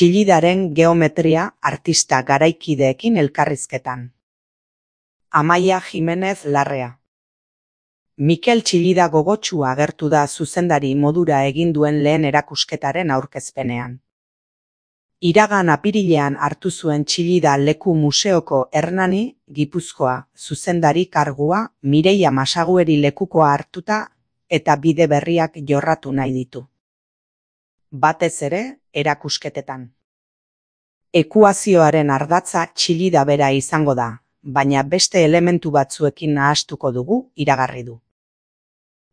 Txillidaren geometria artista garaikideekin elkarrizketan. Amaia Jimenez Larrea. Mikel Txillida gogotsu agertu da zuzendari modura egin duen lehen erakusketaren aurkezpenean. Iragan apirilean hartu zuen Txillida leku museoko Hernani, Gipuzkoa, zuzendari kargua Mireia Masagueri lekukoa hartuta eta bide berriak jorratu nahi ditu. Batez ere, erakusketetan. Ekuazioaren ardatza Txillida bera izango da, baina beste elementu batzuekin nahastuko dugu, iragarri du.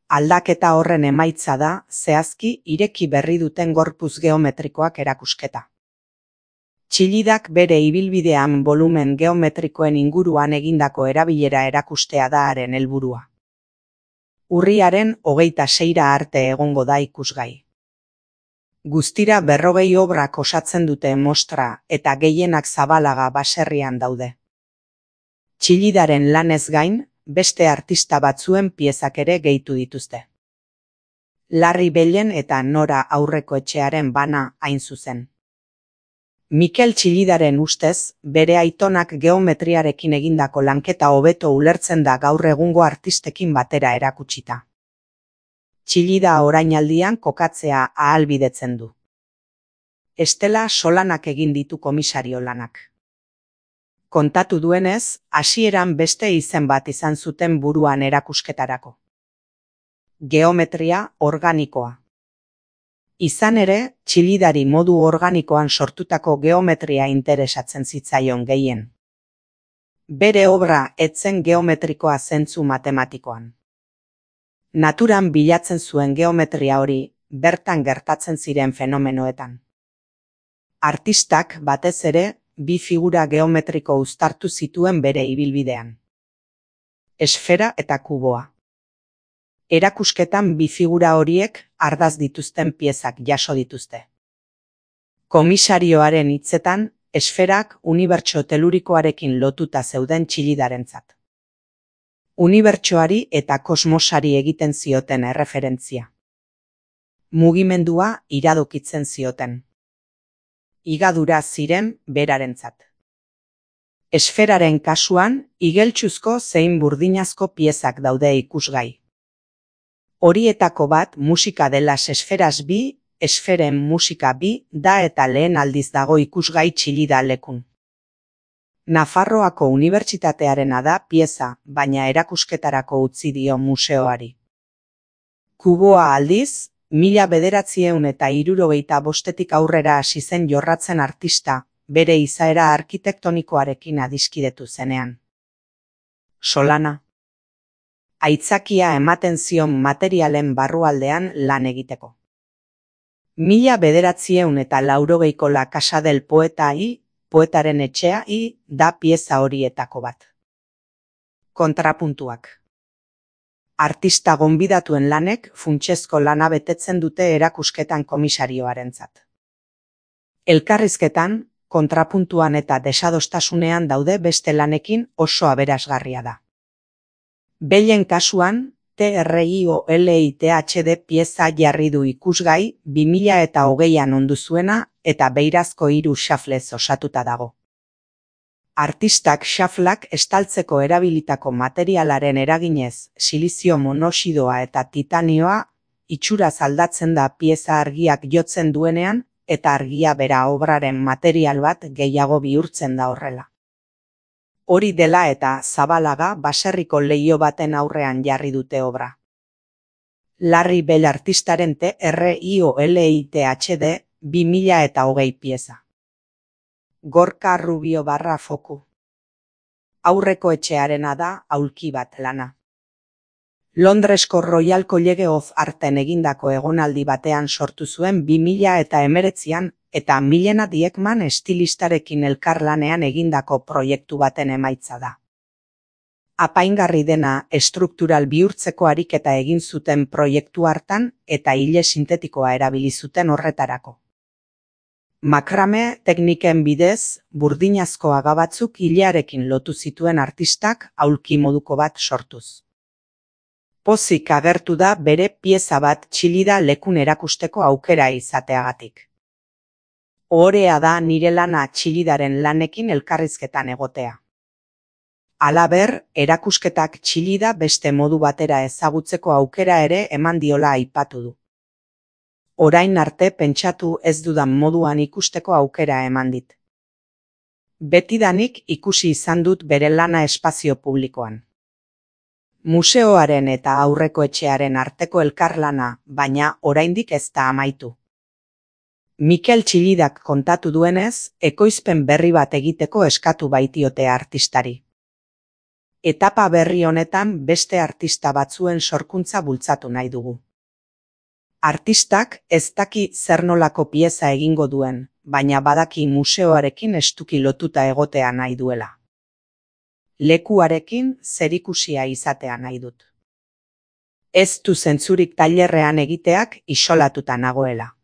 Aldaketa horren emaitza da, zehazki, ireki berri duten gorpuz geometrikoak erakusketa. Txillidak bere ibilbidean bolumen geometrikoen inguruan egindako erabilera erakustea da haren helburua. Urriaren 26 arte egongo da ikusgai. Guztira 40 obrak osatzen dute mostra eta gehienak Zabalaga baserrian daude. Txillidaren lanez gain, beste artista batzuen piezak ere gehitu dituzte. Larri Bellen eta Nora Aurrekoetxearen bana hain zuzen. Mikel Txillidaren ustez, bere aitonak geometriarekin egindako lanketa hobeto ulertzen da gaur egungo artistekin batera erakutsita. Txillida orainaldian kokatzea ahalbidetzen du. Estela Solanak egin ditu komisario lanak. Kontatu duenez, hasieran beste izen bat izan zuten buruan erakusketarako. Geometria organikoa. Izan ere, Txillidari modu organikoan sortutako geometria interesatzen zitzaion gehien. Bere obra ez zen geometrikoa zentzu matematikoan. Naturan bilatzen zuen geometria hori, bertan gertatzen ziren fenomenoetan. Artistak batez ere, bi figura geometriko uztartu zituen bere ibilbidean. Esfera eta kuboa. Erakusketan bi figura horiek ardaz dituzten piezak jaso dituzte. Komisarioaren hitzetan, esferak unibertso telurikoarekin lotuta zeuden Txillidarentzat. Unibertsoari eta kosmosari egiten zioten erreferentzia. Mugimendua iradokitzen zioten. Higadura ziren berarentzat. Esferaren kasuan, igeltsuzko zein burdinazko piezak daude ikusgai. Horietako bat musika delas esferas bi, esferen musika bi, da eta lehen aldiz dago ikusgai Txillida lekun. Nafarroako Unibertsitatearena da pieza, baina erakusketarako utzi dio museoari. Kuboa aldiz, 1975 aurrera hasi zen jorratzen artista, bere izaera arkitektonikoarekin adiskidetu zenean. Solana. Aitzakia ematen zion materialen barrualdean lan egiteko. 1980ko La Casa del Poeta Poetaren etxea da pieza horietako bat. Kontrapuntuak. Artista gonbidatuen lanek funtsezko lana betetzen dute erakusketan komisarioarentzat. Elkarrizketan, kontrapuntuan eta desadostasunean daude beste lanekin oso aberasgarria da. Bellen kasuan, TRIOLITHD pieza jarri du ikusgai 2020an ondu zuena eta beirazko 3 xaflez osatuta dago. Artistak xaflak estaltzeko erabilitako materialaren eraginez, silizio monoxidoa eta titanioa itxuraz aldatzen da pieza argiak jotzen duenean eta argia bera obraren material bat gehiago bihurtzen da horrela. Hori dela eta Zabalaga baserriko leiho baten aurrean jarri dute obra. Larri Bell artistaren TRIOLITHD 2020 pieza. Gorka Rubio Foku. Aurrekoetxearena da aulki bat lana. Londresko Royal College of Arten egindako egonaldi batean sortu zuen 2019an eta Milena Diekman estilistarekin elkarlanean egindako proiektu baten emaitza da. Apaingarri dena estruktural bihurtzeko ariketa egin zuten proiektu hartan eta ile sintetikoa erabili zuten horretarako. Makrame tekniken bidez, burdinazko haga batzuk ilearekin lotu zituen artistak aulki moduko bat sortuz. Pozik agertu da bere pieza bat Txillida lekun erakusteko aukera izateagatik. Ohorea da nire lana Txillidaren lanekin elkarrizketan egotea. Halaber, erakusketak Txillida beste modu batera ezagutzeko aukera ere eman diola aipatu du. Orain arte pentsatu ez dudan moduan ikusteko aukera eman dit. Betidanik ikusi izan dut bere lana espazio publikoan. Museoaren eta aurreko etxearen arteko elkarlana, baina oraindik ez da amaitu. Mikel Txillidak kontatu duenez, ekoizpen berri bat egiteko eskatu baitiote artistari. Etapa berri honetan beste artista batzuen sorkuntza bultzatu nahi dugu. Artistak ez daki zer nolako pieza egingo duen, baina badaki museoarekin estuki lotuta egotea nahi duela. Lekuarekin zerikusia izatea nahi dut. Ez du zentzurik tailerrean egiteak isolatuta nagoela.